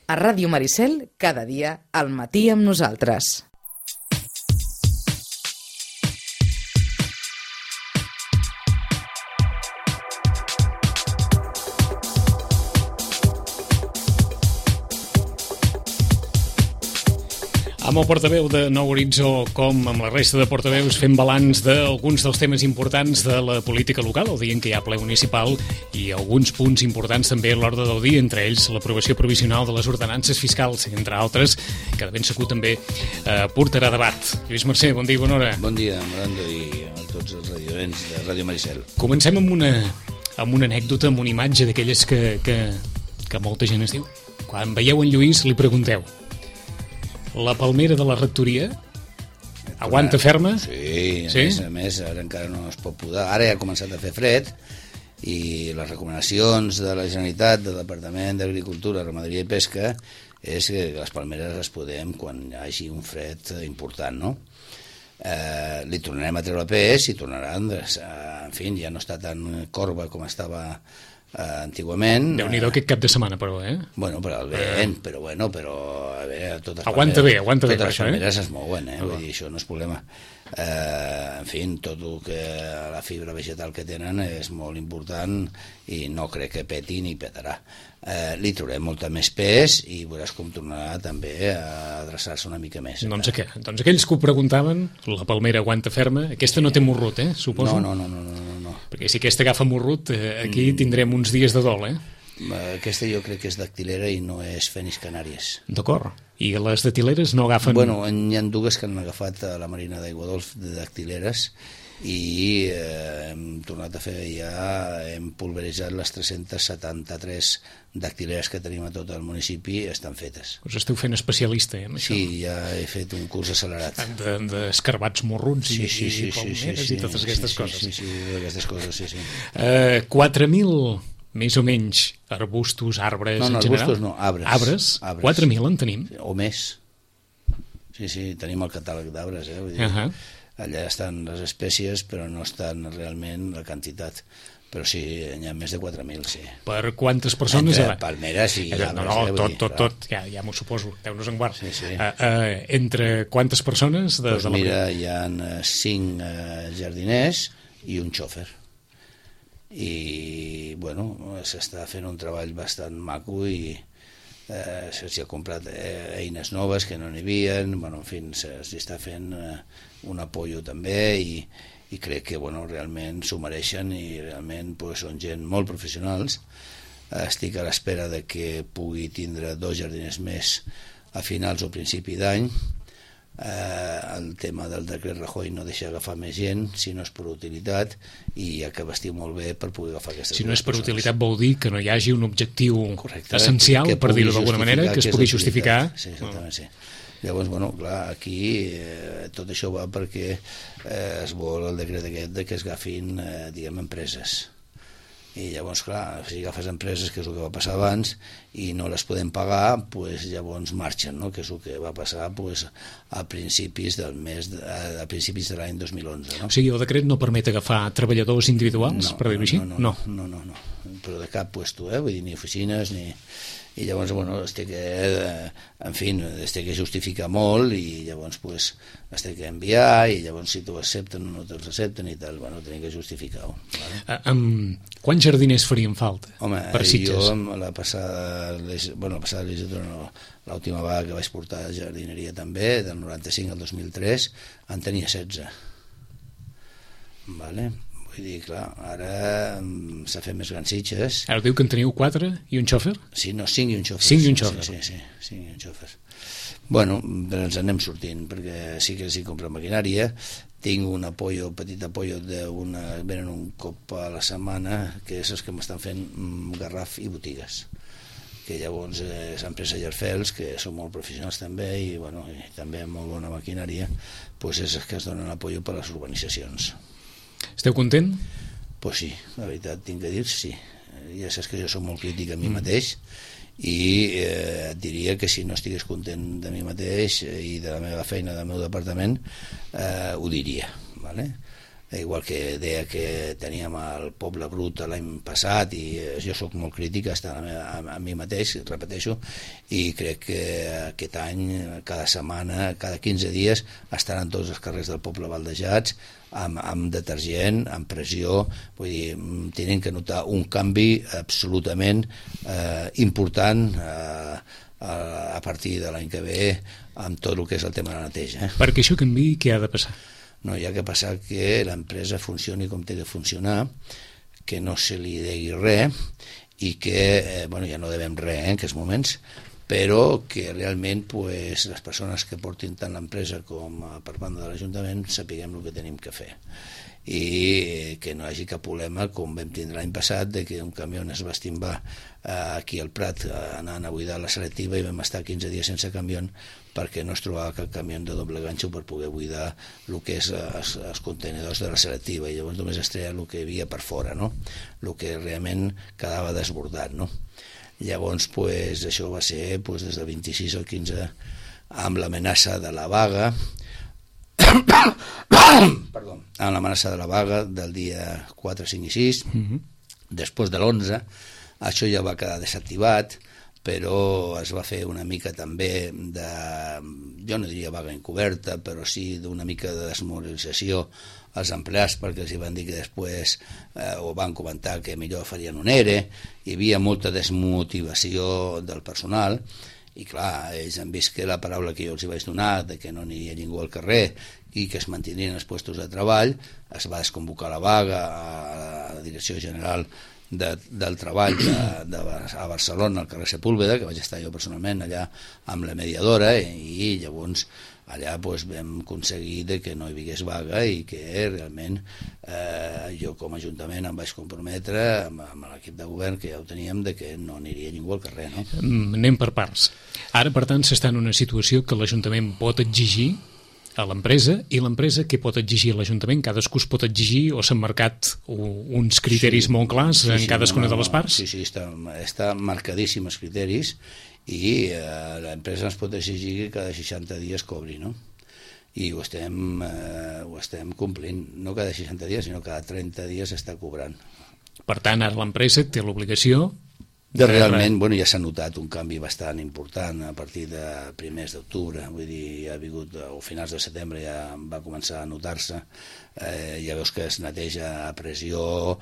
A Ràdio Maricel, cada dia, al matí amb nosaltres. Amb el portaveu de Nou Horitzó, com amb la resta de portaveus, fem balanç d'alguns dels temes importants de la política local, el dia en què hi ha ple municipal, i alguns punts importants també a l'ordre del dia, entre ells l'aprovació provisional de les ordenances fiscals, entre altres, que de ben segur també portarà debat. Lluís Mercè, bon dia i bona hora. Bon dia, Morando, i a tots els radioents de Ràdio Maricel. Comencem amb una anècdota, amb una imatge d'aquelles que molta gent es diu. Quan veieu en Lluís, li pregunteu: la palmera de la rectoria aguanta ferma? Sí, a més, ara encara no es pot podar. Ara ja ha començat a fer fred i les recomanacions de la Generalitat, del Departament d'Agricultura, Ramaderia i Pesca, és que les palmeres les podem quan hi hagi un fred important, no? Li tornarem a treure pes i tornaran, en fi, ja no està tan corba com estava antigament. Déu-n'hi-do aquest cap de setmana, però, Bueno, per al vent, però a veure, aguanta bé, totes les palmeres es mouen, vull dir, això no és problema. En fi, tot el que la fibra vegetal que tenen és molt important i no crec que peti ni petarà. Li trobarem molta més pes i veuràs com tornarà també a adreçar-se una mica més. Doncs què? Doncs aquells que ho preguntaven, la palmera aguanta ferma, aquesta no té morrut, suposo? No. Perquè si aquesta agafa morrut, aquí tindrem uns dies de dol, Aquesta jo crec que és dactilera i no és Fenis Canàries. D'acord. I les dactileres no agafen... Bueno, hi ha dues que han agafat a la Marina d'Aigua Dolç de dactileres i hem tornat a fer hem pulveritzat les 373 dactileres que tenim a tot el municipi, estan fetes. Us esteu fent especialista, amb això? Sí, ja he fet un curs accelerat. D'escarbats morruts i palmeres i totes aquestes coses. Sí, aquestes coses, sí. 4.000... més o menys arbustos, arbres, en general? Arbustos no, arbres. 4.000 en tenim? O més. Sí, tenim el catàleg d'arbres, vull dir, allà estan les espècies, però no estan realment la quantitat. Però sí, hi ha més de 4.000, sí. Per quantes persones? Entre palmeres i arbres. Tot, ja m'ho suposo, Déu-nos en guard. Sí. Entre quantes persones? Doncs mira, hi ha 5 jardiners i un xòfer. I bueno, s'està fent un treball bastant maco i s'hi ha comprat eines noves que no n'hi havia, en fi, s'hi està fent un apoyo també i crec que realment s'ho mereixen i realment són gent molt professionals. Estic a l'espera de que pugui tindre 2 jardiners més a finals o principi d'any. El tema del decret Rajoy no deixa agafar més gent si no és per utilitat i hi ha que vestir molt bé per poder agafar aquestes persones. Si no és per utilitat vol dir que no hi hagi un objectiu essencial, per dir-ho d'alguna manera, que es pugui justificar. Sí, exactament, sí. Llavors, clar, aquí tot això va perquè es vol el decret aquest de que es agafin, empreses. I llavors, clar, si agafes empreses, que és el que va passar abans, i no les podem pagar, llavors marxen, que és el que va passar a principis de l'any 2011. O sigui, el decret no permet agafar treballadors individuals, per dir-ho així? No, però de cap puesto, vull dir, ni oficines, ni... I llavors, es té que justificar molt i llavors es té que enviar i llavors si t'ho accepten o no te'ls accepten i tal, tenim que justificar-ho. Quants jardiners farien falta? Home, per Sitges? Jo la passada legislatura no, l'última vegada que vaig portar jardineria també, del 95 al 2003, en tenia 16. Vale? Vull dir, clar, ara s'ha fet més grans Sitges. Ara diu que en teniu 4 i un xòfer? Sí, no, 5 i un xòfer. 5 i un xòfer. Sí, 5 i un xòfer. Bueno, ens anem sortint, perquè sí que s'hi compra maquinària. Tinc un petit apoyo venen un cop a la setmana, que és els que m'estan fent garraf i botigues. Que llavors s'han pres a Llerfels, que són molt professionals també, i també amb molt bona maquinària, és els que es donen apoyo per a les urbanitzacions. Esteu content? Pues sí, la veritat, tinc que dir sí. Ja saps que jo soc molt crític a mi mateix i et diria que si no estigués content de mi mateix i de la meva feina, del meu departament, ho diria, vale? igual que deia que teníem el Poble Brut l'any passat, i jo sóc molt crític a mi mateix, repeteixo, i crec que aquest any, cada setmana, cada 15 dies, estaran tots els carrers del poble baldejats, amb detergent, amb pressió, vull dir, tenen que notar un canvi absolutament important a partir de l'any que ve amb tot el que és el tema de la neteja. Perquè això canviï, què ha de passar? No, hi ha que passar que l'empresa funcioni com té de funcionar, que no se li degui res i que, ja no devem res en aquests moments, però que realment les persones que portin tant l'empresa com per banda de l'Ajuntament sapiguem el que tenim que fer, i que no hi hagi cap problema com vam tindre l'any passat, de que un camió es va estimbar aquí al Prat anant a buidar la selectiva i vam estar 15 dies sense camió perquè no es trobava cap camió de doble ganxo per poder buidar el que és els contenidors de la selectiva, i llavors només es treia el que hi havia per fora, no? El que realment quedava desbordat, no? Llavors, això va ser des del 26 al 15 amb l'amenaça de la vaga amb l'amenaça de la vaga del dia 4, 5 i 6. Després de l'11 això ja va quedar desactivat, però es va fer una mica també jo no diria vaga encoberta, però sí d'una mica de desmoralització als empleats, perquè els van dir que després ho van comentar que millor farien un ERE, hi havia molta desmotivació del personal, i clar, ells han vist que la paraula que jo els vaig donar, de que no aniria ningú al carrer i que es mantindrien els llocs de treball, es va desconvocar la vaga a la Direcció General del Treball a Barcelona, al carrer Sepúlveda, que vaig estar jo personalment allà amb la mediadora, i llavors allà vam aconseguir que no hi hagués vaga i que realment jo com a Ajuntament em vaig comprometre amb l'equip de govern, que ja ho teníem, de que no aniria ningú al carrer, no? Anem per parts. Ara, per tant, s'està en una situació que l'Ajuntament pot exigir a l'empresa, i l'empresa què pot exigir a l'Ajuntament? Cadascú es pot exigir, o s'han marcat uns criteris molt clars en cadascuna de les parts? Sí, està marcadíssim els criteris, i l'empresa ens pot exigir que cada 60 dies cobri, no? I ho estem complint, no cada 60 dies, sinó cada 30 dies està cobrant. Per tant, ara l'empresa té l'obligació realment, ja s'ha notat un canvi bastant important a partir de primers d'octubre, vull dir, ha vingut, o finals de setembre ja va començar a notar-se, ja veus que es neteja a pressió,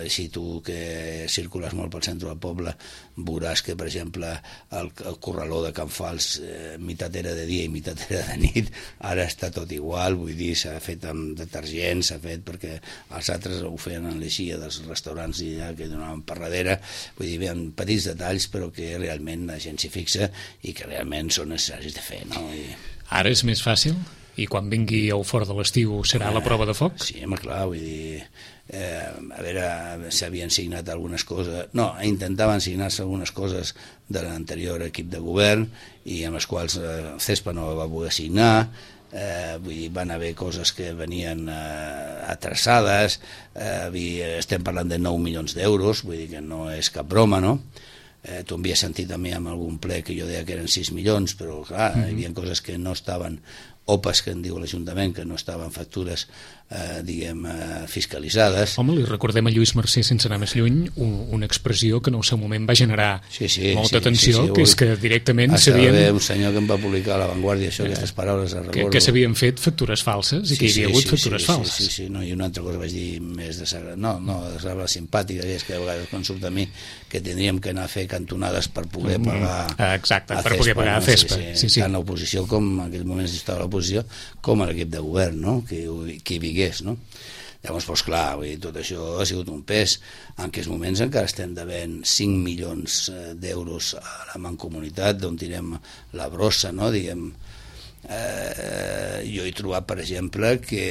si tu que circules molt pel centre del poble veuràs que, per exemple, el corraló de Can Fals meitat era de dia i meitat era de nit, ara està tot igual, vull dir, s'ha fet amb detergent, s'ha fet perquè els altres ho feien en l'eixia dels restaurants i ja que donaven per darrere, vull dir, hi ha petits detalls però que realment la gent s'hi fixa i que realment són necessaris de fer, no? Ara és més fàcil? I quan vingui el fort de l'estiu serà la prova de foc? Sí, home, clar, vull dir, a veure, s'havien signat algunes coses, no, intentaven signar-se algunes coses de l'anterior equip de govern i amb les quals CESPA no va poder signar, vull dir, van haver coses que venien atrasades, estem parlant de 9 milions d'euros, vull dir que no és cap broma, no? Tu m'havies sentit també amb algun ple que jo deia que eren 6 milions, però clar, hi havia coses que no estaven, OPAs que en diu l'Ajuntament, que no estaven factures, diguem, fiscalitzades. Home, li recordem a Lluís Mercè, sense anar més lluny, una expressió que en el seu moment va generar molta tensió, que és que directament s'havien... un senyor que em va publicar a La Vanguardia, aquestes paraules a recordo. Que s'havien fet factures falses i que hi havia hagut factures falses. Sí, i una altra cosa vaig dir més desagradable, simpàtica, és que a vegades quan surt a mi que tindríem que anar a fer cantonades per poder pagar per poder pagar a CESPA. Tant l'oposició com en aquells moments estava l'oposició com a l'equip de govern, no? Que hi vigués, no? Llavors, doncs clar, tot això ha sigut un pes. En aquests moments encara estem devent 5 milions d'euros a la Mancomunitat, d'on tirem la brossa, no? Diguem, jo he trobat, per exemple, que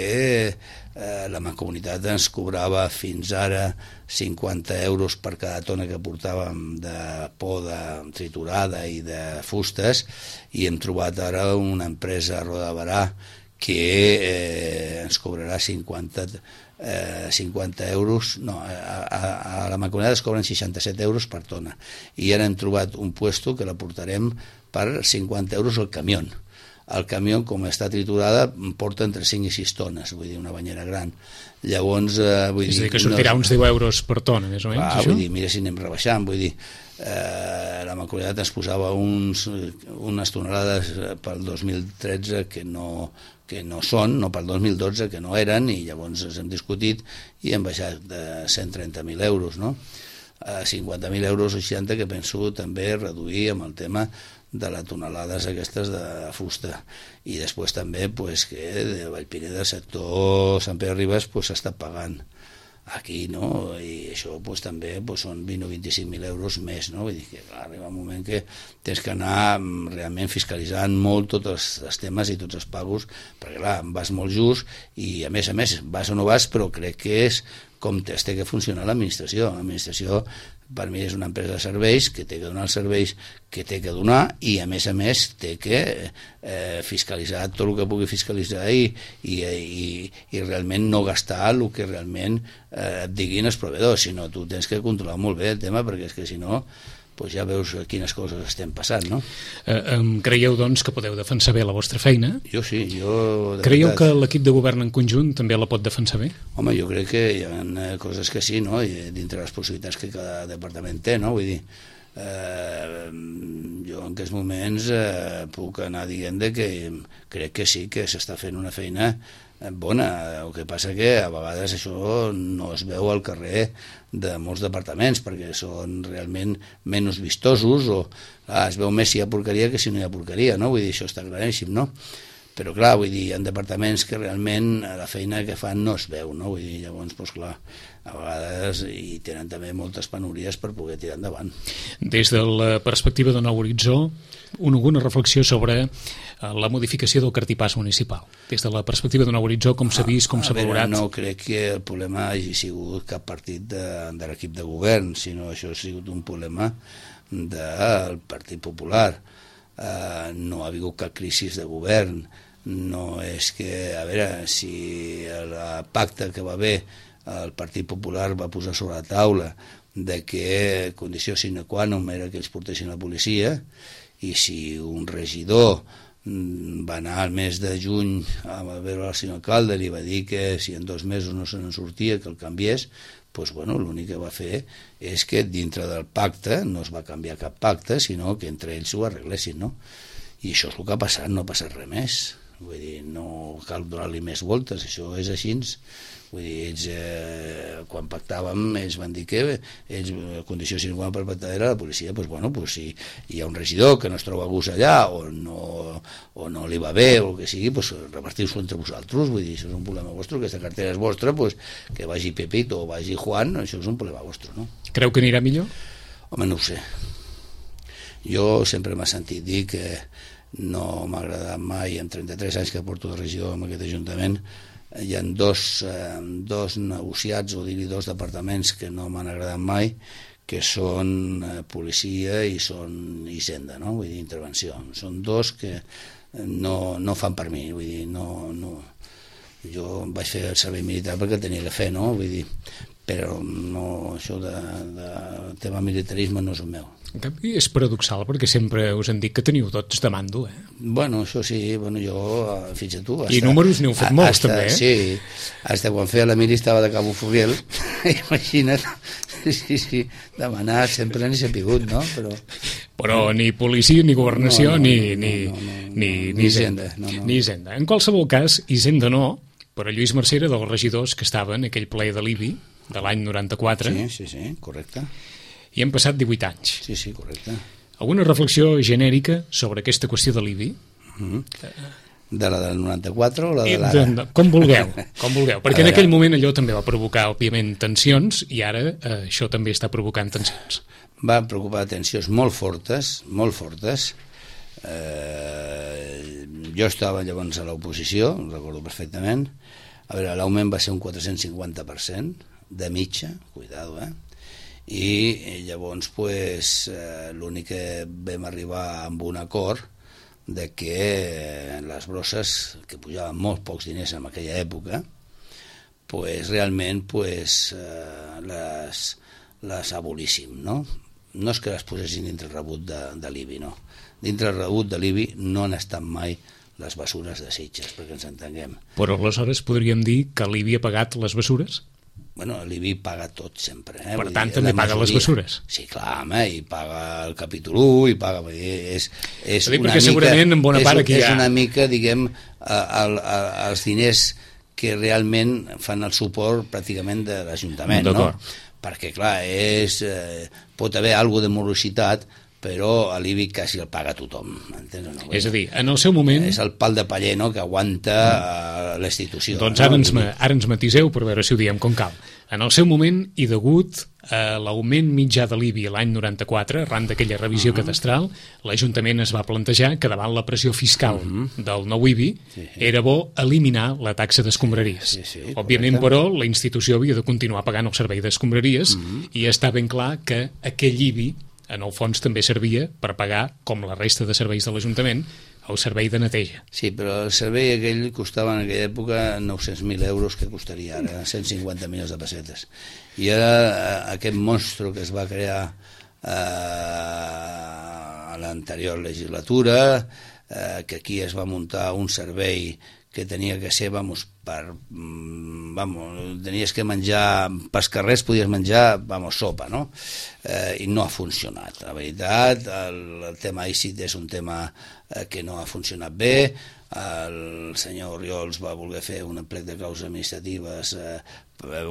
la Mancomunitat ens cobrava fins ara 50 euros per cada tona que portàvem de poda triturada i de fustes, i hem trobat ara una empresa a Roda de Barà que ens cobrarà 50 euros, no, a la Mancomunitat es cobren 67 euros per tona, i ara hem trobat un puesto que la portarem per 50 euros al camió. el camió, com està triturada, porta entre 5 i 6 tones, vull dir, una banyera gran. Llavors, vull dir... És a dir, que sortirà uns 10 euros per tona, més o menys, això? Vull dir, mira si anem rebaixant, vull dir, la Mancomunitat ens posava unes tonelades pel 2013 que no són, no pel 2012, que no eren, i llavors ens hem discutit i hem baixat de 130.000 euros, no? A 50.000 euros o 60, que penso també reduir amb el tema de les tonelades aquestes de fusta. I després també pues, que de Vallpineda, del sector Sant Pere Ribes, s'està pagant aquí, no? I això pues, també pues, són 20 o 25.000 euros més, no? Vull dir que clar, arriba un moment que tens que anar realment fiscalitzant molt tots els temes i tots els pagos, perquè clar, vas molt just i a més, vas o no vas, però crec que és com té que funcionar l'administració. L'administració per mi és una empresa de serveis que té que donar els serveis que té que donar i a més té que fiscalitzar tot el que pugui fiscalitzar i realment no gastar el que realment et diguin els proveïdors, sinó tu tens que controlar molt bé el tema, perquè és que si no pues ja veus quines coses estem passant, no? Creieu, doncs, que podeu defensar bé la vostra feina? Jo sí, jo... Creieu que l'equip de govern en conjunt també la pot defensar bé? Home, jo crec que hi ha coses que sí, no? I dintre les possibilitats que cada departament té, no? Vull dir, jo en aquests moments puc anar dient que crec que sí que s'està fent una feina bona. El que passa que a vegades això no es veu al carrer de molts departaments perquè són realment menys vistosos o es veu més si hi ha porqueria que si no hi ha porqueria, no? Vull dir, això està claríssim, no? Però clar, vull dir, hi ha departaments que realment la feina que fan no es veu, no? Vull dir, llavors, doncs clar, a vegades hi tenen també moltes penúries per poder tirar endavant. Des de la perspectiva de Nou Horitzó, alguna reflexió sobre la modificació del cartipàs municipal? Des de la perspectiva de Nou Horitzó, com s'ha vist, com s'ha valorat? No crec que el problema hagi sigut cap partit de l'equip de govern, sinó això ha sigut un problema del Partit Popular. No ha hagut cap crisi de govern. No és que, a veure, si el pacte que va haver el Partit Popular va posar sobre la taula de que condició sine qua non era que ells portessin la policia, i si un regidor va anar al mes de juny a veure el senyor alcalde, li va dir que si en 2 mesos no se n'en sortia que el canviés, doncs bueno, l'únic que va fer és que dintre del pacte no es va canviar cap pacte, sinó que entre ells ho arreglessin, no? I això és el que ha passat, no ha passat res més. Vull dir, no cal donar-li més voltes, això és així. Vull dir, ells, quan pactàvem, ells van dir que ells, condició sine qua non per pactar era la policia, doncs bueno, doncs si hi ha un regidor que no es troba a gust allà o no li va bé o el que sigui, doncs repartiu-s'ho entre vosaltres. Vull dir, això és un problema vostre, aquesta cartera és vostra, doncs que vagi Pepito o vagi Juan, això és un problema vostre, no? Creu que anirà millor? Home, no ho sé. Jo sempre m'ha sentit dir que no m'ha agradat mai, en 33 anys que porto de regidor en aquest Ajuntament, hi ha dos negociats, o dir-hi 2 departaments que no m'han agradat mai, que són policia i són hisenda, no? Vull dir, intervenció. Són 2 que no fan per mi, vull dir, no. Jo vaig fer el servei militar perquè tenia que fer, no? Vull dir, però no, això de tema militarisme no és el meu. En canvi, és paradoxal, perquè sempre us han dit que teniu tots de mando, eh? Bueno, això sí, bueno, jo, fins a tu... I números n'heu fet molts, també, eh? Sí, fins quan feia la mili estava de Cabo Foguel, imagina't, sí, demanar sempre n'he sapigut, no? Però ni policia, ni governació, ni Hisenda. Ni Hisenda. En qualsevol cas, Hisenda no, però Lluís Mercè era dels regidors que estaven en aquell ple de l'IBI, de l'any 94. Sí, correcte. I han passat 18 anys. Sí, correcte. Alguna reflexió genèrica sobre aquesta qüestió de l'IBI? De la del 94 o la de l'ara? Com vulgueu, perquè en aquell moment allò també va provocar, òbviament, tensions, i ara això també està provocant tensions. Va provocar tensions molt fortes, molt fortes. Jo estava llavors a l'oposició, ho recordo perfectament. A veure, l'augment va ser un 450% de mitja, cuidado, i llavors l'únic que vam arribar amb un acord de que les brosses, que pujaven molt pocs diners en aquella època, realment les abolíssim, no? No és que les posessin dintre el rebut de l'IBI, no. Dintre el rebut de l'IBI no han estat mai les bessures de Sitges, perquè ens entenguem. Però aleshores podríem dir que l'IBI ha pagat les bessures? Bueno, l'IBI paga tot sempre. Per tant, també paga les bessures? Sí, clar, home, i paga el capítol 1, i paga... És una mica, segurament en bona part aquí és una mica, diguem, els diners que realment fan el suport pràcticament de l'Ajuntament, no? Perquè, clar, pot haver alguna de morositat, però l'IBI quasi el paga tothom, entens? No? És a dir, en el seu moment... És el pal de paller, no?, que aguanta l'institució. Doncs ara ens matiseu per veure si ho diem com cal. En el seu moment, i degut a l'augment mitjà de l'IBI l'any 94, arran d'aquella revisió cadastral, l'Ajuntament es va plantejar que davant la pressió fiscal del nou IBI era bo eliminar la taxa d'escombraries. Òbviament, però, la institució havia de continuar pagant el servei d'escombraries i està ben clar que aquell IBI en el fons també servia per pagar, com la resta de serveis de l'Ajuntament, el servei de neteja. Sí, però el servei aquell costava en aquella època 900.000 euros, que costaria ara 150 milions de pessetes. I ara aquest monstru que es va crear a l'anterior legislatura, que aquí es va muntar un servei que tenia que ser, tenies que menjar, pels carrers podies menjar, sopa, no? I no ha funcionat. La veritat, el tema ICIT és un tema que no ha funcionat bé. El senyor Oriols va voler fer un plec de causes administratives,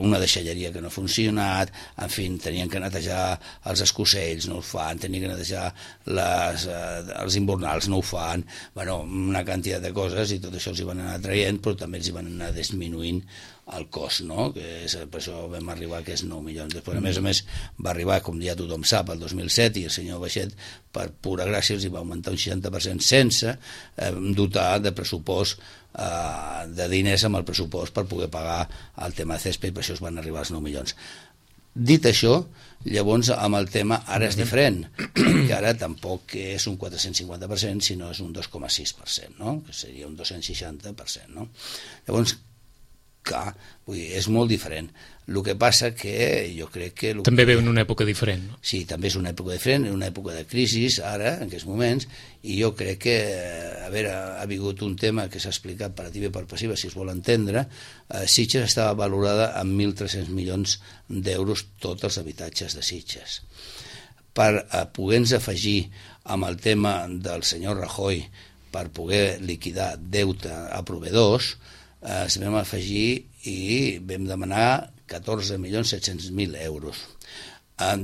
una deixalleria que no ha funcionat, en fi, tenien que netejar els escocells, no ho fan, tenien que netejar els invernals, no ho fan, una quantitat de coses, i tot això els hi van anar traient, però també els hi van anar disminuint el cost, no? Que per això vam arribar a aquests 9 milions. Després, a més, va arribar, com ja tothom sap, el 2007, i el senyor Baixet, per pura gràcia, els hi va augmentar un 60% sense dotar de pressupost de diners amb el pressupost per poder pagar el tema de CESPE, i per això es van arribar als 9 milions. Dit això, llavors amb el tema ara és diferent, perquè ara tampoc és un 450%, sinó és un 2,6%, no? Que seria un 260%, no? Llavors, clar, és molt diferent. El que passa que jo crec que... També ve en una època diferent, no? Sí, també és una època diferent, una època de crisi ara, en aquests moments, i jo crec que, a veure, ha vingut un tema que s'ha explicat per activa i per passiva, si es vol entendre. Sitges estava valorada en 1.300 milions d'euros tots els habitatges de Sitges. Per poder-nos afegir amb el tema del senyor Rajoy, per poder liquidar deute a proveïdors, ens vam afegir i vam demanar 14.700.000 euros,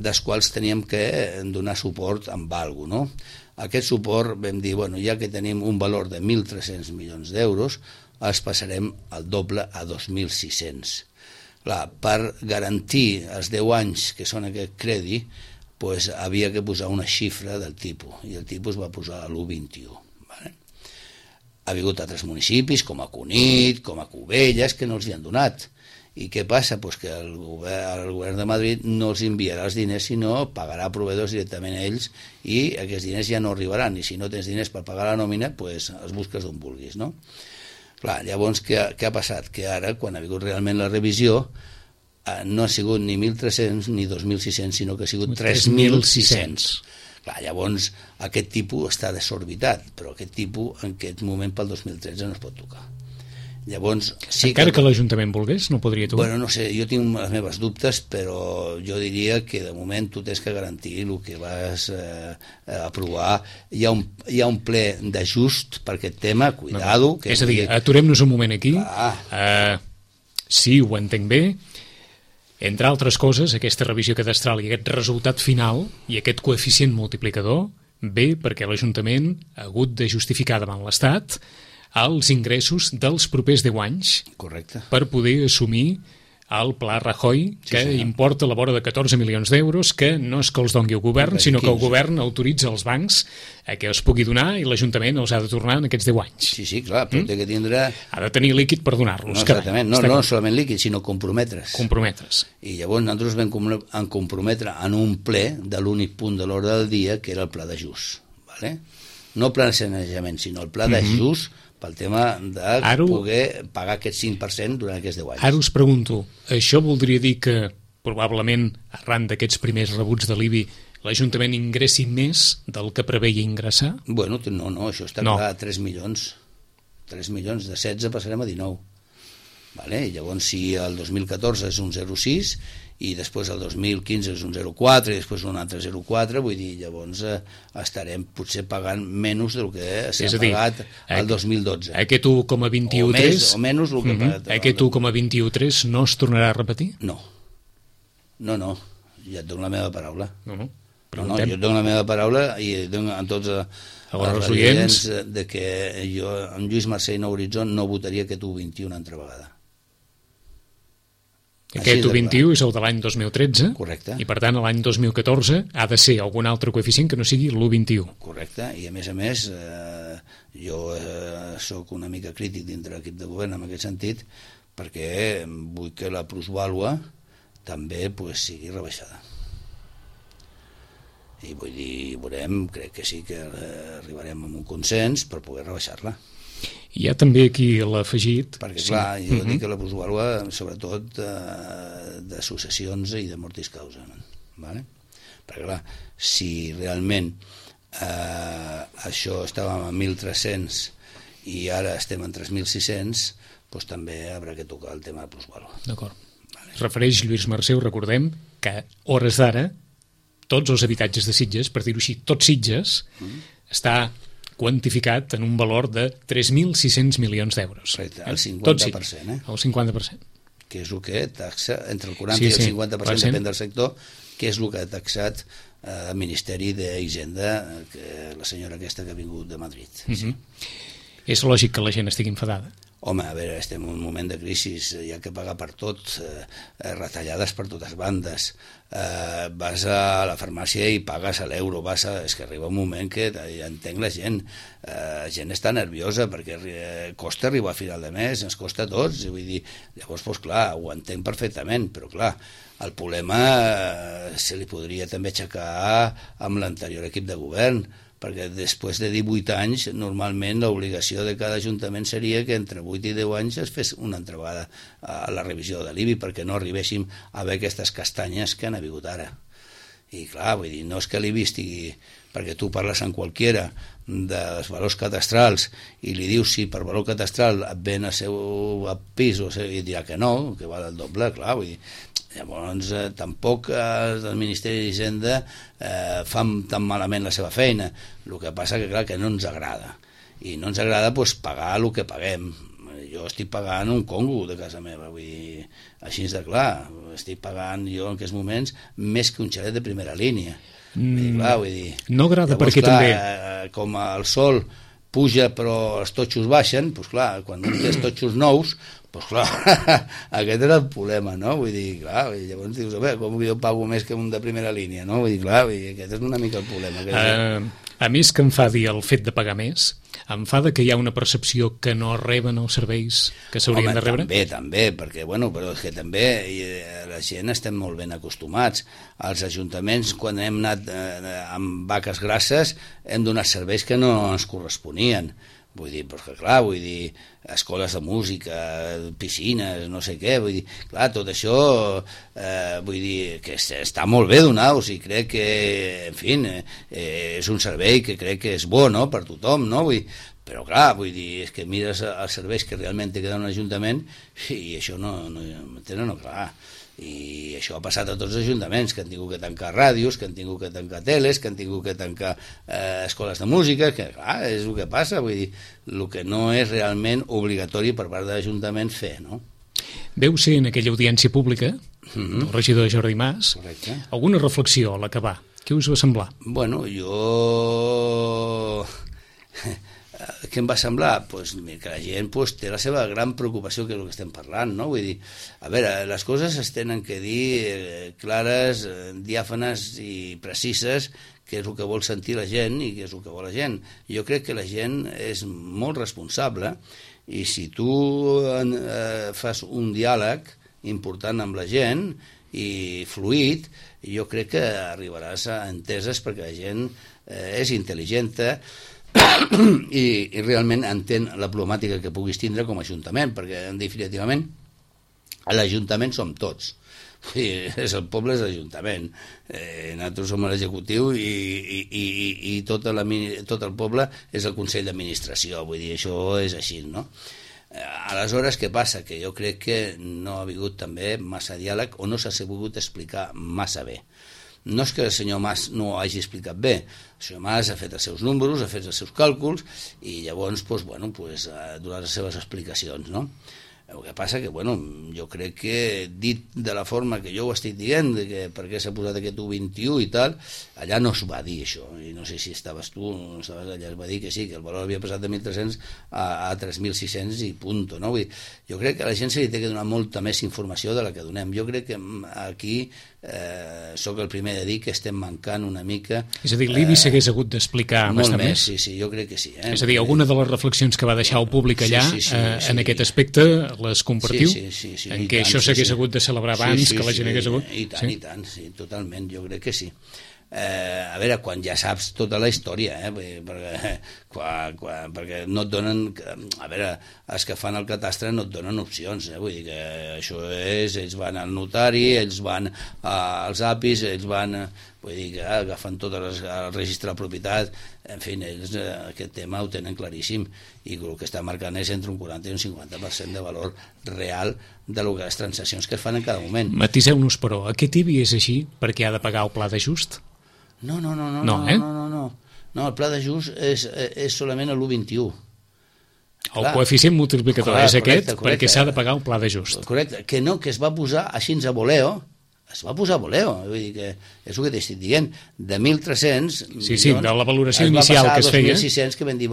dels quals teníem que donar suport amb alguna cosa, no? Aquest suport vam dir, ja que tenim un valor de 1.300 milions d'euros, els passarem al doble a 2.600. Clar, per garantir els 10 anys que són aquest crèdit, havia que posar una xifra del tipus, i el tipus va posar a l'1,21. Ha vingut altres municipis, com a Cunit, com a Cubelles, que no els hi han donat. I què passa? Que el govern de Madrid no els enviarà els diners, sinó pagarà proveïdors directament a ells, i aquests diners ja no arribaran, i si no tens diners per pagar la nòmina, els busques d'on vulguis, no? Clar, llavors, què ha passat? Que ara, quan ha vingut realment la revisió, no ha sigut ni 1.300 ni 2.600, sinó que ha sigut 3.600. Clar, llavors, aquest tipus està desorbitat, però aquest tipus en aquest moment pel 2013 no es pot tocar. Llavors, sí encara que l'Ajuntament volgués, no podria tocar? No sé, jo tinc les meves dubtes, però jo diria que de moment tu tens que garantir el que vas aprovar. Hi ha un ple d'ajust per aquest tema, cuidado. És a dir, aturem-nos un moment aquí. Sí, ho entenc bé. Entre altres coses, aquesta revisió cadastral i aquest resultat final i aquest coeficient multiplicador ve perquè l'Ajuntament ha hagut de justificar davant l'Estat els ingressos dels propers 10 anys. Correcte. Per poder assumir el Pla Rajoy, que importa a la vora de 14 milions d'euros, que no és que els doni el govern, sinó que el govern autoritza els bancs a que els pugui donar i l'Ajuntament els ha de tornar en aquests 10 anys. Sí, clar, però té que tindre... Ha de tenir líquid per donar-los. No, exactament, no solament líquid, sinó comprometre's. I llavors nosaltres vam comprometre en un ple de l'únic punt de l'ordre del dia, que era el pla d'ajust. No el pla de sanejament, sinó el pla d'ajust pel tema de poder pagar aquest 5% durant aquests 10 anys. Ara us pregunto, això voldria dir que probablement arran d'aquests primers rebuts de l'IBI l'Ajuntament ingressi més del que preveia ingressar? No, això està clar, 3 milions. 3 milions, de 16 passarem a 19. Vale? I llavors, si el 2014 és un 0,6 i després el 2015 és un 0,4 i després un altre 0,4, vull dir, llavors estarem potser pagant menys del que s'ha pagat el 2012. Aquest 1,21,3 o menys el que ha pagat. Aquest 1,21,3 no es tornarà a repetir? No, ja et dono la meva paraula. No, jo et dono la meva paraula i dono a tots els oients de que jo, amb Lluís Mercè i Nou Horitzó, no votaria aquest 1,21 una altra vegada. Aquest 1,21 és el de l'any 2013. Correcte. I per tant l'any 2014 ha de ser algun altre coeficient que no sigui l'1,21. Correcte, i a més jo sóc una mica crític dintre l'equip de govern en aquest sentit, perquè vull que la plusvàlua també sigui rebaixada. I vull dir, veurem, crec que sí que arribarem a un consens per poder rebaixar-la. Hi ha també aquí l'afegit... Perquè, clar, jo dic que la plusvàlua, sobretot de successions i de mortis causa. Vale? Perquè, clar, si realment això estàvem a 1.300 i ara estem en 3.600, doncs també haurà que tocar el tema de plusvàlua. D'acord. Es refereix Lluís Mercè, recordem, que a hores d'ara tots els habitatges de Sitges, per dir-ho així, tots Sitges, està quantificat en un valor de 3.600 milions d'euros. El 50%. El 50%. Que és el que taxa, entre el 40 i el 50%, depèn del sector, que és el que ha taxat el Ministeri d'Hisenda, la senyora aquesta que ha vingut de Madrid. És lògic que la gent estigui enfadada. Home, a veure, estem en un moment de crisi, hi ha que pagar per tot, retallades per totes bandes, vas a la farmàcia i pagues a l'euro, és que arriba un moment que ja entenc la gent està nerviosa perquè costa arribar a final de mes, ens costa a tots, vull dir, llavors, doncs clar, ho entenc perfectament, però clar, el problema se li podria també aixecar amb l'anterior equip de govern, perquè després de 18 anys, normalment l'obligació de cada ajuntament seria que entre 8 i 10 anys es fes una altra vegada a la revisió de l'IBI perquè no arribéssim a veure aquestes castanyes que han hagut ara. I clar, vull dir, no és que l'IBI estigui... perquè tu parles amb qualquiera dels valors cadastrals i li dius si per valor cadastral et ven el seu pis i dirà que no, que val el doble, clar, vull dir... Llavors, tampoc el Ministeri d'Hisenda fan tan malament la seva feina. El que passa que, clar, que no ens agrada. I no ens agrada pagar el que paguem. Jo estic pagant un Congo de casa meva, vull dir, així de clar. Estic pagant jo en aquests moments més que un xalet de primera línia. Vull dir, no agrada llavors, perquè clar, també... Com el sol puja però els totxos baixen, doncs clar, quan un té els totxos nous, doncs clar, aquest era el problema, no? Vull dir, clar, llavors dius, a veure, com jo pago més que un de primera línia, no? Vull dir, clar, aquest és una mica el problema. A més que enfadi el fet de pagar més, enfada que hi ha una percepció que no reben els serveis que s'haurien de rebre? També, perquè, bueno, però és que també la gent estem molt ben acostumats. Els ajuntaments, quan hem anat amb vaques grasses, hem donat serveis que no ens corresponien. Vull dir, però que clar, vull dir, escoles de música, piscines, no sé què, vull dir, clar, tot això, vull dir, que està molt bé donar-ho, i crec que, en fi, és un servei que crec que és bo, no?, per tothom, no?, vull dir, però clar, vull dir, és que mires els serveis que realment té que dar un ajuntament i això no clar. I això ha passat a tots els ajuntaments, que han tingut que tancar ràdios, que han tingut que tancar teles, que han tingut que tancar escoles de música, que clar, és el que passa, vull dir, el que no és realment obligatori per part de l'Ajuntament fer, no? Veu ser en aquella audiència pública, el regidor Jordi Mas, correcte, alguna reflexió a l'acabar. Què us va semblar? Bueno, jo... Què em va semblar? Pues, que la gent té la seva gran preocupació, que és el que estem parlant, no? Vull dir, a veure, les coses es tenen que dir clares, diàfanes i precises, que és el que vol sentir la gent i que és el que vol la gent. Jo crec que la gent és molt responsable i si tu fas un diàleg important amb la gent i fluid, jo crec que arribaràs a enteses perquè la gent és intel·ligent i realment entén la problemàtica que puguis tindre com a ajuntament, perquè definitivament l'Ajuntament som tots. Sí, el poble és l'Ajuntament. Nosaltres som l'executiu i tot el poble és el Consell d'Administració, vull dir, això és així, no? Aleshores, què passa? Que jo crec que no ha hagut també massa diàleg o no s'ha sabut explicar massa bé. No és que el senyor Mas no ho hagi explicat bé, el senyor Mas ha fet els seus números, ha fet els seus càlculs i llavors ha donat les seves explicacions, no? El que passa que, jo crec que dit de la forma que jo ho estic dient, de que per què s'ha posat aquest 1,21 i tal, allà no es va dir això, i no sé si estaves tu, no estaves allà, es va dir que sí, que el valor havia passat de 1.300 a 3.600 i punto, no? Vull dir, jo crec que a la gent se li té que donar molta més informació de la que donem. Jo crec que aquí sóc el primer de dir que estem mancant una mica... És a dir, l'IBI s'hagués hagut d'explicar bastant més? Sí, jo crec que sí. És a dir, alguna de les reflexions que va deixar el públic allà, en aquest aspecte, les compartiu? Sí. En què això s'hagués hagut de celebrar abans, que la gent hagués hagut... I tant, sí, totalment, jo crec que sí. A veure, quan ja saps tota la història, perquè no et donen... A veure, els que fan el catastre no et donen opcions, vull dir que això és... Ells van al notari, ells van als APIs, ells van... Vull dir que agafen tot el registre de propietat, en fi, ells aquest tema ho tenen claríssim i el que està marcant és entre un 40 i un 50% de valor real de les transaccions que es fan en cada moment. Matiseu-nos, però, aquest IBI és així perquè ha de pagar el pla d'ajust? No, el pla d'ajust és solament l'1,21. El coeficient multiplicador és aquest perquè s'ha de pagar el pla d'ajust. Correcte, que no, que es va posar així a voleo, es va posar a voleo, vull dir que és el que t'estic dient, de 1.300 milions, de la valoració inicial que es feia, es va passar a 2.600, que vam dir,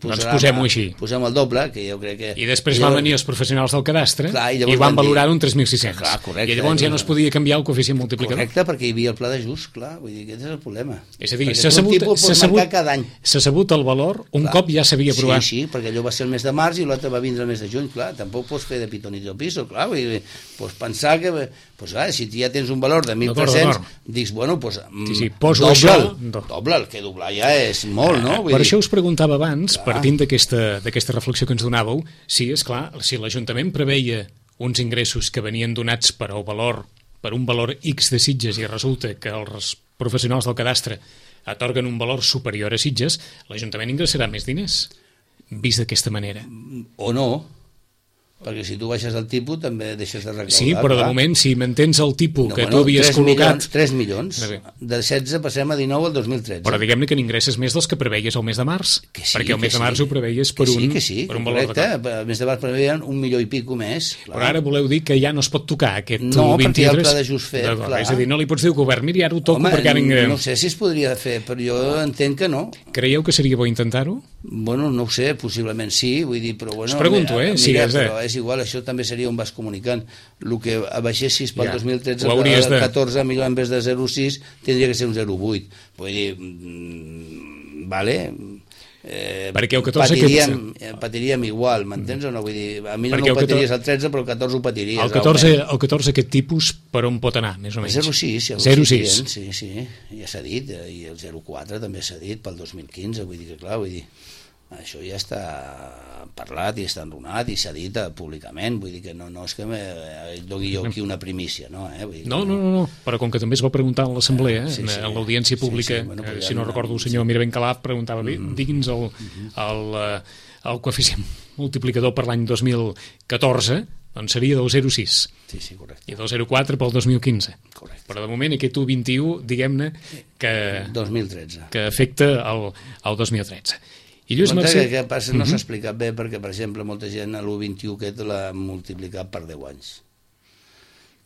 doncs posem-ho així. Posem el doble, que jo crec que... I després van venir els professionals del cadastre i van valorar un 3.600. I llavors ja no es podia canviar el coeficient multiplicador. Correcte, perquè hi havia el pla d'ajust, clar, vull dir que aquest és el problema. És a dir, s'ha sabut el valor un cop ja s'havia aprovat. Sí, perquè allò va ser el mes de març i l'altre va vindre el mes de juny, clar, tampoc pots fer de pitonito piso, clar, vull dir, pots pensar que... Doncs clar, si ja tens un valor de 1.300, dius, doble, el que doblar ja és molt, no? Per això us preguntava abans, partint d'aquesta reflexió que ens donàveu, si l'Ajuntament preveia uns ingressos que venien donats per un valor X de Sitges i resulta que els professionals del cadastre atorguen un valor superior a Sitges, l'Ajuntament ingressarà més diners, vist d'aquesta manera. O no, perquè si tu baixes el tipus també deixes de recaudar. Sí, però de moment, si mantens el tipus que tu havies col·locat... 3 milions, de 16 passem a 19 al 2013. Però diguem-ne que n'ingresses més dels que preveies el mes de març, perquè el mes de març ho preveies per un valor correcte, el mes de març preveien 1 milió i pico més. Però ara voleu dir que ja no es pot tocar aquest 23? No, perquè hi ha el pla d'ajust fet. És a dir, no li pots dir al govern, mira, ara ho toco perquè ara ingressem. No sé si es podria fer, però jo entenc que no. Creieu que seria bo intentar-ho? Bueno, no ho sé, possiblement sí, vull dir, però bueno... Us pregunto, però és igual, això també seria un vas comunicant. El que abaixessis pel 2013 al 14, millor en vez de 0,6 tindria que ser un 0,8. Vull dir, vale... perquè el 14 patiríem igual, m'entens o no? Vull dir, a mi no ho patiries el 13, però el 14 ho patiries. El 14 aquest tipus per on pot anar, més o menys? 0,6, sí, ja s'ha dit, i el 0,4 també s'ha dit pel 2015, vull dir que clar, això ja està parlat i està enrunat i s'ha dit públicament, vull dir que no és que doni jo aquí una primícia, no? No, però com que també es va preguntar a l'Assemblea, en l'audiència pública, si no recordo el senyor Miravent Calaf preguntava, digui'ns el coeficient multiplicador per l'any 2014, doncs seria del 0,6. Sí, correcte. I del 0,4 pel 2015. Correcte. Però de moment aquest 1,21, diguem-ne, que 2013. Que afecta el 2013. I Lluís Mercè... Què passa? No s'ha explicat bé perquè, per exemple, molta gent a l'1,21 aquest l'ha multiplicat per 10 anys.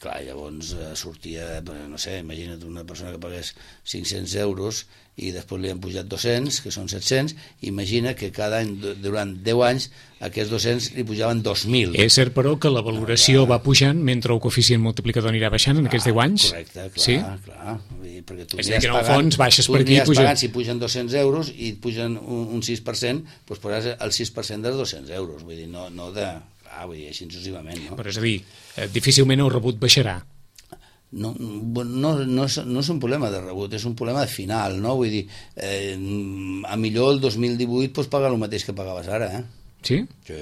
Clar, llavors sortia, no sé, imagina't una persona que pagués 500 euros i després li han pujat 200, que són 700, imagina que cada any, durant 10 anys, aquests 200 li pujaven 2.000. És cert, però, que la valoració va pujant mentre el coeficient multiplicador anirà baixant en aquests 10 anys? Correcte, clar. Perquè tu és a dir, que en el fons baixes per aquí i pugen... Si pugen 200 euros i et pugen un 6%, doncs posaràs el 6% dels 200 euros, vull dir, no de... vull dir, així successivament, no? Però és a dir, difícilment el rebut baixarà. No és un problema de rebut, és un problema de final, no? Vull dir, a millor el 2018 pots pagar el mateix que pagaves ara, Sí? Sí,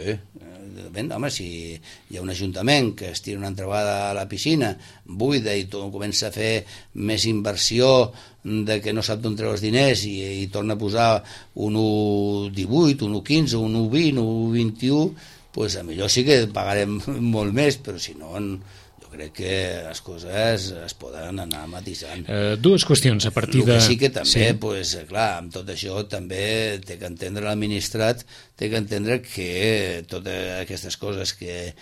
home, si hi ha un ajuntament que es tira una entrebada a la piscina buida i comença a fer més inversió de que no sap d'on treu els diners i torna a posar un 1,18, un 1,15, un 1,20, un 1,21, doncs millor sí que pagarem molt més, però si no... crec que les coses es poden anar matisant. Dues qüestions a partir de... El que sí que també, pues, clar, amb tot això també té que entendre l'administrat, té que entendre que totes aquestes coses que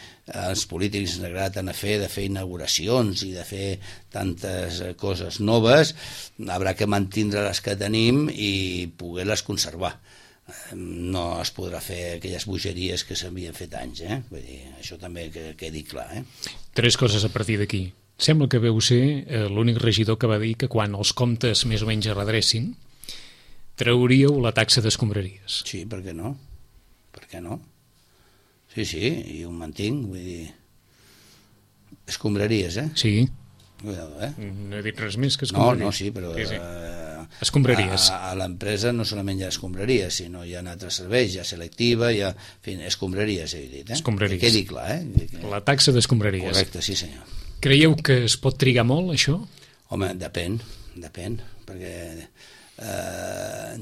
els polítics ens agraden a fer, de fer inauguracions i de fer tantes coses noves, haurà que mantindre les que tenim i poder-les conservar. No es podrà fer aquelles bogeries que s'havien fet anys, vull dir, això també que quedi clar. Tres coses a partir d'aquí. Sembla que veu ser l'únic regidor que va dir que quan els comptes més o menys es redrecin trauríeu la taxa d'escombraries. Sí, per què no? Per què no? Sí, i ho mantinc, vull dir... Escombraries, Sí. Cuidado, No he dit res més que escombraries. No, sí, però... Sí. Escombraries. A l'empresa no solament hi ha escombraries, sinó hi ha altres serveis, hi ha selectiva, hi ha... En fi, escombraries, he dit. Escombraries. Que quedi clar, La taxa d'escombraries. Correcte, sí senyor. Creieu que es pot trigar molt, això? Home, depèn, perquè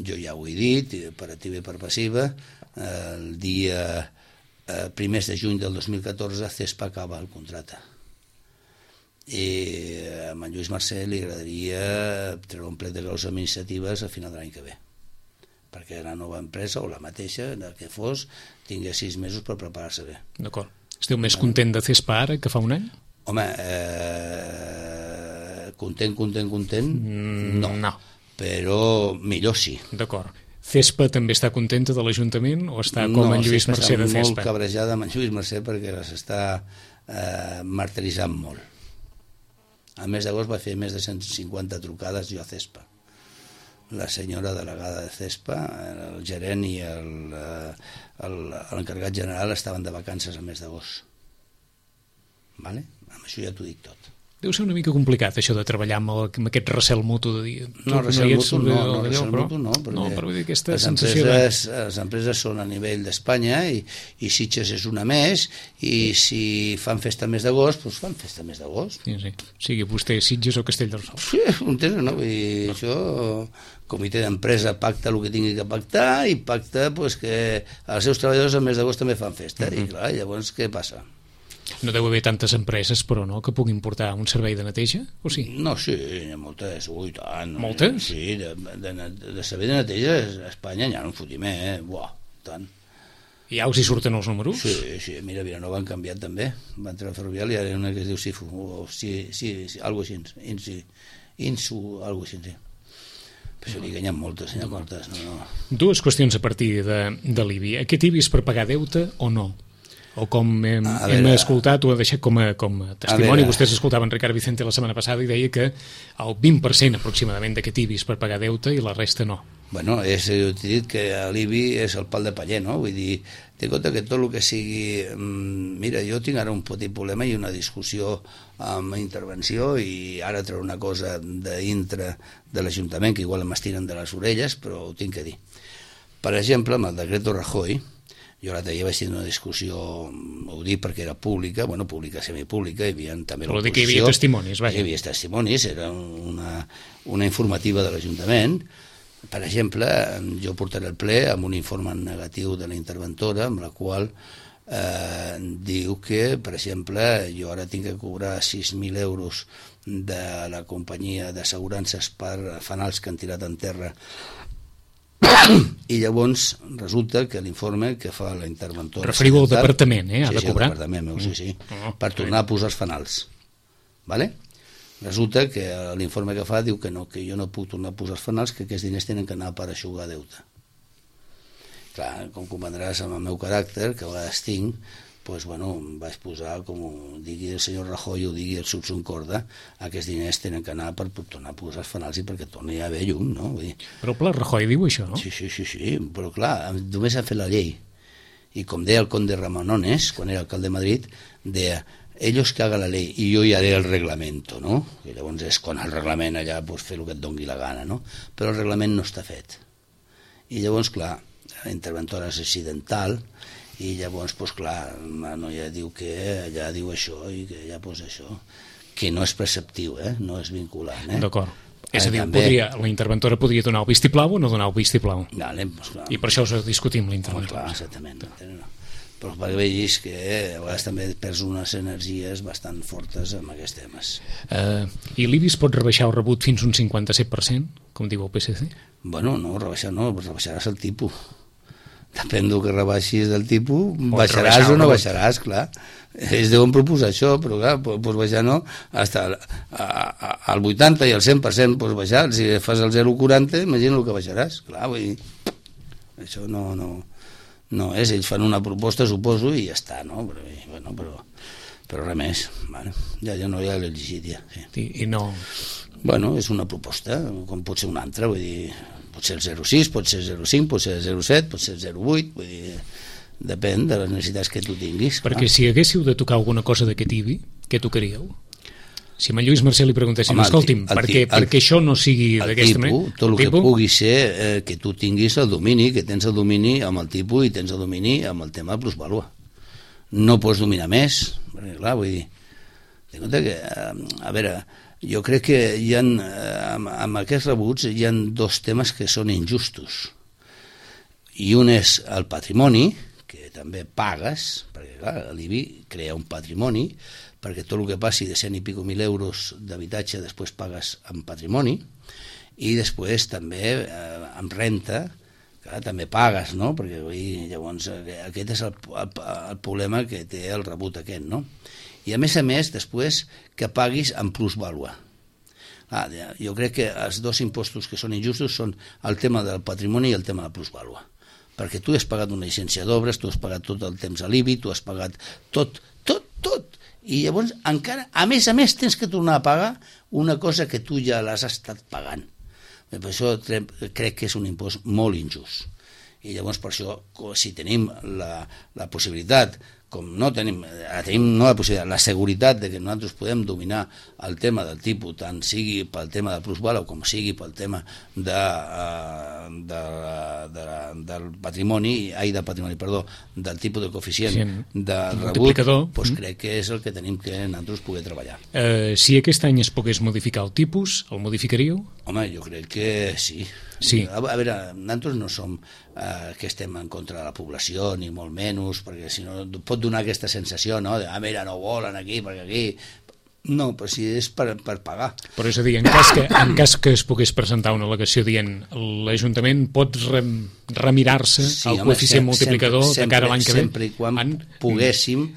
jo ja ho he dit, per activa i per passiva, el dia 1 de juny del 2014 CESPA acaba el contracte. I a en Lluís Mercè li agradaria treure un plec de causes administratives a final de l'any que ve, perquè la nova empresa o la mateixa, el que fos, tingués 6 mesos per preparar-se bé. D'acord. Esteu més content de CESPA ara que fa un any? Home, content, no. Però millor sí. D'acord. CESPA també està contenta de l'Ajuntament o està com en Lluís Mercè de CESPA? No, està molt cabrejada amb en Lluís Mercè perquè les està martiritzant molt. Al mes d'agost va fer més de 150 trucades jo a CESPA. La senyora delegada de CESPA, el gerent i l'encarregat general estaven de vacances al mes d'agost. Vale? Amb això ja t'ho dic tot. Deu ser una mica complicat això de treballar amb aquest recel mutu de dir... No, recel mutu no, perquè aquesta les empreses són a nivell d'Espanya i Sitges és una més i si fan festa al mes d'agost, doncs fan festa al mes d'agost. Sí. Sigui vostè Sitges o Castellterçol. Sí, entens, no? Vull dir, això... Comitè d'empresa pacta el que tingui que pactar i pacta pues, que els seus treballadors al mes d'agost també fan festa. I clar, llavors què passa? No deu haver tantes empreses, però no, que puguin portar un servei de neteja, o sí? No, sí, hi ha moltes, tant. Moltes? Sí, de servei de neteja a Espanya n'hi ha un fotimer, tant. I ja us hi surten els números? Sí, mira, Vilanova han canviat també, van treure ferrovial i ara hi ha una que es diu Sifu, o algo així, Insu, algo així, sí. Però això n'hi ha moltes, no. Dues qüestions a partir de l'IBI. Aquest IBI és per pagar deute o no? O com hem escoltat, ho ha deixat com a testimoni, vostès escoltaven Ricard Vicente la setmana passada i deia que el 20% aproximadament d'aquest IBI és per pagar deute i la resta no. Bueno, t'he dit que l'IBI és el pal de paller, no? Vull dir, té compte que tot el que sigui... Mira, jo tinc ara un petit problema i una discussió amb intervenció i ara treure una cosa dintre de l'Ajuntament que igual m'estiren de les orelles, però ho tinc que dir. Per exemple, amb el decreto Rajoy, jo l'altre dia vaig tenir una discussió, ho dic perquè era pública, pública, semipública, hi havia també l'oposició. Vol dir que hi havia testimonis, vaja. Hi havia testimonis, era una informativa de l'Ajuntament. Per exemple, jo portaré el ple amb un informe negatiu de la interventora, amb la qual diu que, per exemple, jo ara tinc que cobrar 6.000 euros de la companyia d'assegurances per fanals que han tirat en terra i llavors resulta que l'informe que fa la interventora... Referiu al departament, ha de cobrar? Sí, al departament meu, sí. Per tornar a posar els fanals. Vale? Resulta que l'informe que fa diu que no, que jo no puc tornar a posar els fanals, que aquests diners tenen que anar per aixugar deute. Clar, com comprendràs amb el meu caràcter, que a vegades tinc, doncs, vaig posar, com ho digui el senyor Rajoy, ho digui el Subsun Corda, aquests diners tenen que anar per tornar a posar els fanals i perquè torni a haver llum, no? Vull dir... Però el pla Rajoy diu això, no? Sí, però clar, només han fet la llei. I com deia el conde Ramanones, quan era alcalde de Madrid, deia, ellos que hagan la ley y yo ya haré el reglamento, no? I llavors és quan el reglament allà pots fer el que et dongui la gana, no? Però el reglament no està fet. I llavors, clar, la interventora és accidental i llavors, doncs clar, la noia diu que allà diu això i que allà posa això, que no és preceptiu, no és vinculant. D'acord. És a dir, la interventora podria donar el vistiplau o no donar el vistiplau? Vale, doncs clar. I per això us discutim la interventora. Clar, exactament. Però perquè vegis que a vegades també perds unes energies bastant fortes amb aquests temes. I l'IBI es pot rebaixar el rebut fins un 57%, com diu el PSC? Bueno, no, rebaixaràs el tipus. Depèn del que rebaixis del tipus, baixaràs o no baixaràs, clar. Ells deuen proposar això, però clar, pots baixar no, hasta al 80 i al 100% pots baixar. Si fas el 0,40, imagina el que baixaràs. Clar, vull dir, això no és, ells fan una proposta, suposo, i ja està, no? Però res més, vale. Ja no hi ha l'elegit, ja. Sí. I no... Bueno, és una proposta, com pot ser una altra, vull dir, pot ser el 0,6, pot ser el 0,5, pot ser el 0,7, pot ser el 0,8, vull dir, depèn de les necessitats que tu tinguis. Perquè si haguéssiu de tocar alguna cosa d'aquest IBI, què tocaríeu? Si a Lluís Mercè li preguntéssim, escolti'm, perquè això no sigui d'aquesta manera... Tot el que pugui ser que tu tinguis el domini, que tens el domini amb el tipus i tens el domini amb el tema de plusvàlua. No pots dominar més, perquè clar, vull dir, de compte que, a veure, jo crec que hi ha, amb aquests rebuts hi ha dos temes que són injustos. I un és el patrimoni, que també pagues, perquè clar, l'IBI crea un patrimoni, perquè tot el que passi de 100 i pico mil euros d'habitatge després pagues en patrimoni, i després també amb renta, clar, també pagues, no? Perquè llavors aquest és el problema que té el rebut aquest, no? I a més, després que paguis en plusvàlua. Jo crec que els dos impostos que són injustos són el tema del patrimoni i el tema de la plusvàlua, perquè tu has pagat una llicència d'obres, tu has pagat tot el temps a l'IBI, tu has pagat tot, i llavors encara, a més, tens que tornar a pagar una cosa que tu ja l'has estat pagant. Per això crec que és un impost molt injust. I llavors per això, si tenim la possibilitat, com no tenim no la possibilitat, la seguretat de que nosaltres podem dominar el tema del tipus, tant sigui pel tema del plusvàlua com sigui pel tema del patrimoni, del tipus de coeficient del rebut, doncs crec que és el que tenim que nosaltres poder treballar. Si aquest any es pogués modificar el tipus, el modificaríeu? Home, jo crec que sí. A veure, nosaltres no som que estem en contra de la població, ni molt menys, perquè si no pot donar aquesta sensació, no?, de, mira, no volen aquí, perquè aquí... No, però si és per pagar. Però és a dir, en cas que es pogués presentar una al·legació dient l'Ajuntament pot remirar-se el coeficient multiplicador de cara a l'any que ve, sempre i quan poguéssim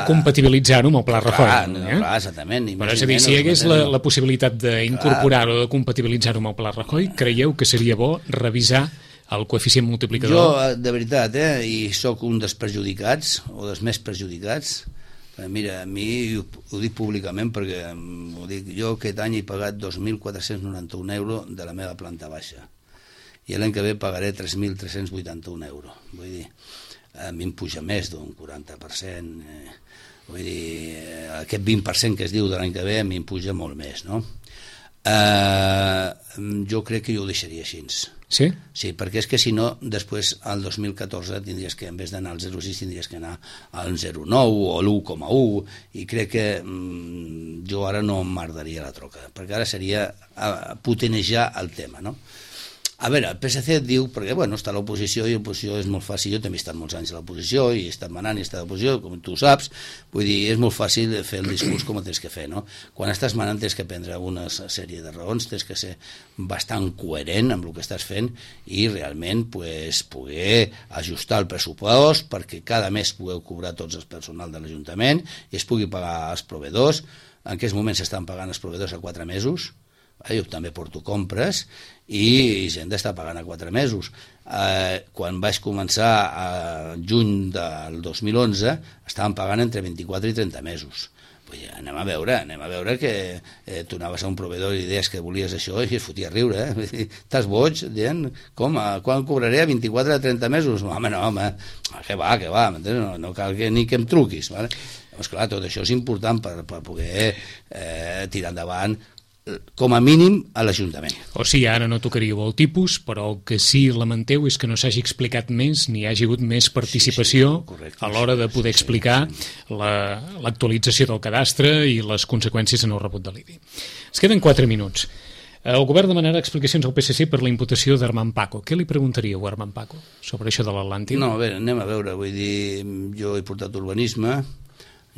compatibilitzar-ho amb el Pla Rajoy. Clar, exactament. Però és a dir, si hi hagués la possibilitat d'incorporar-ho o de compatibilitzar-ho amb el Pla Rajoy, creieu que seria bo revisar el coeficient multiplicador? Jo, de veritat, i sóc un dels perjudicats, o dels més perjudicats. Mira, a mi ho dic públicament perquè ho dic, jo aquest any he pagat 2.491 euros de la meva planta baixa i l'any que ve pagaré 3.381 euros. Vull dir, a mi em puja més d'un 40%, vull dir, aquest 20% que es diu de l'any que ve a mi em puja molt més, no? Jo crec que jo ho deixaria així. Sí? Sí, perquè és que si no, després al 2014 tindries que, en vez d'anar al 0,6, tindries que anar al 0,9 o a l'1,1, i crec que jo ara no em mardaria la troca, perquè ara seria potenejar el tema, no? A veure, el PSC et diu, perquè bueno, està a l'oposició i l'oposició és molt fàcil, jo també he estat molts anys a l'oposició i he estat manant i he estat a l'oposició, com tu saps, vull dir, és molt fàcil fer el discurs com el tens que fer, no? Quan estàs manant tens que prendre una sèrie de raons, tens que ser bastant coherent amb el que estàs fent i realment poder ajustar el pressupost perquè cada mes pugueu cobrar tots els personal de l'Ajuntament i es pugui pagar als proveïdors. En aquests moments s'estan pagant els proveïdors a 4 mesos, jo també porto compres i gent està pagant a 4 mesos. Quan vaig començar a juny del 2011 estaven pagant entre 24 i 30 mesos. Anem a veure que tu anaves a un proveïdor i deies que volies això i es fotia a riure, estàs boig dient, quan cobraré a 24 a 30 mesos? Home, que va, no cal ni que em truquis, vale? Doncs clar, tot això és important per poder tirar endavant com a mínim a l'Ajuntament. O sigui, ara no tocaríeu el tipus, però el que sí lamenteu és que no s'hagi explicat més ni hi hagi hagut més participació correcte, a l'hora de poder explicar l'actualització del cadastre i les conseqüències en el rebut de l'IBI. Es queden 4 minuts. El govern demanarà explicacions al PSC per la imputació d'Armand Paco. Què li preguntaríeu a Armand Paco sobre això de l'Atlàntic? No, a veure, anem a veure. Vull dir, jo he portat urbanisme,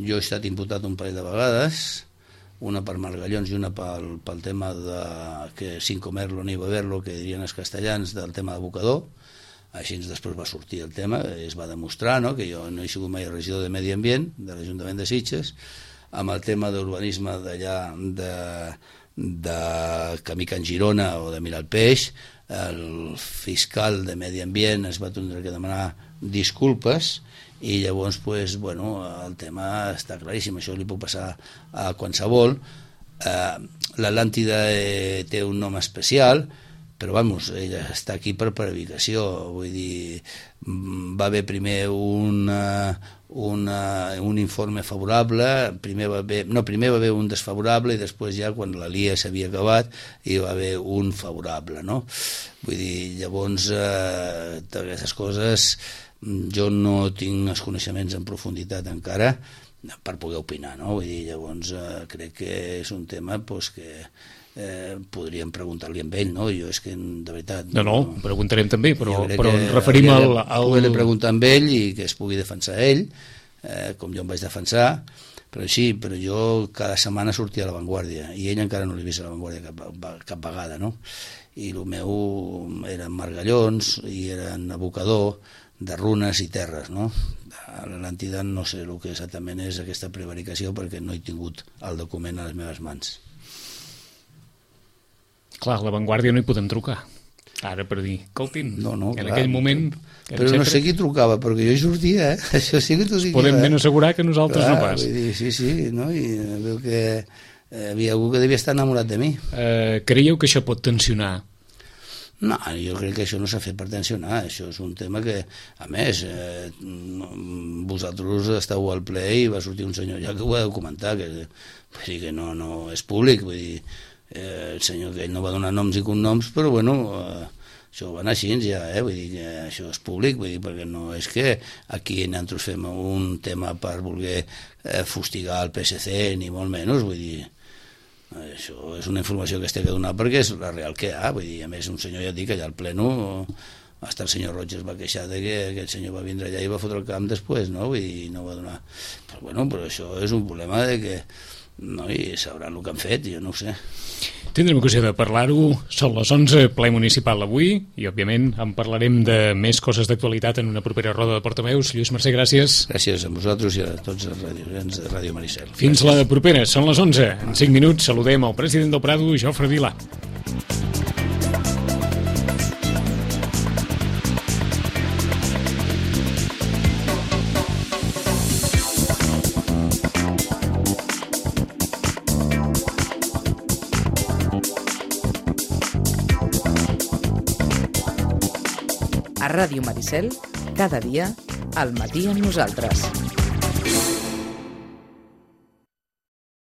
jo he estat imputat un parell de vegades, una per Margallons i una pel tema de que sin comerlo ni beberlo, que dirien els castellans, del tema d'abocador. Així després va sortir el tema, es va demostrar, no?, que jo no he sigut mai regidor de Medi Ambient de l'Ajuntament de Sitges, amb el tema d'urbanisme d'allà de Camí Can Girona o de Miralpeix, el fiscal de Medi Ambient es va tindre que demanar disculpes i llavors pues, bueno, el tema està claríssim, això li puc passar a qualsevol. L'Atlàntida té un nom especial, però vamos, ella està aquí per predicació, vull dir, va haver primer un informe favorable, primer va haver un desfavorable i després ja quan la LIA s'havia acabat hi va haver un favorable, no? Vull dir, llavors d'aquestes coses jo no tinc els coneixements en profunditat encara per poder opinar, no? Vull dir, llavors crec que és un tema pues, que podríem preguntar-li amb ell, no? Jo és que de veritat... No, preguntarem també, però ens referim al... Poder preguntar amb ell i que es pugui defensar ell, com jo em vaig defensar, però sí, però jo cada setmana sortia a La Vanguardia i ell encara no l'he vist a La Vanguardia cap vegada, no? I el meu eren Margallons i eren abocador de runes i terres, no? A l'Atlàntida no sé el que exactament és aquesta prevaricació perquè no he tingut el document a les meves mans. Clar, a La Vanguardia no hi podem trucar. Ara per dir, escoltin, no, en clar, aquell moment... Però no sé qui trucava, perquè jo hi sortia, Això sí que t'ho dic. Podem ben assegurar que nosaltres no pas. Vull dir, sí, no? I veu que havia algú que devia estar enamorat de mi. Creieu que això pot tensionar? No, jo crec que això no s'ha fet per tensionar, això és un tema que, a més, vosaltres esteu al ple i va sortir un senyor ja que ho ha de comentar, que no és públic, vull dir, el senyor que ell no va donar noms i cognoms, però bueno, això va anar així ja, vull dir que això és públic, vull dir, perquè no és que aquí nosaltres fem un tema per voler fustigar el PSC, ni molt menys, vull dir, això és una informació que es té que donar perquè és la real que hi ha, vull dir, a més un senyor ja dic que allà al pleno hasta el senyor Roig es va queixar de que el senyor va vindre allà i va fotre el camp després, no? Vull dir, no va donar... Però bueno, però això és un problema de que no, i sabran el que han fet, jo no ho sé. Tindrem ocasió de parlar-ho. Són les 11, ple municipal avui, i òbviament en parlarem de més coses d'actualitat en una propera roda de portaveus. Lluís Mercè, gràcies. Gràcies a vosaltres i a tots els radios de Ràdio Maricel. Fins la propera, són les 11. En 5 minuts saludem el president del Prado, Jofre Vilà. A Ràdio Maricel, cada dia, al matí amb nosaltres.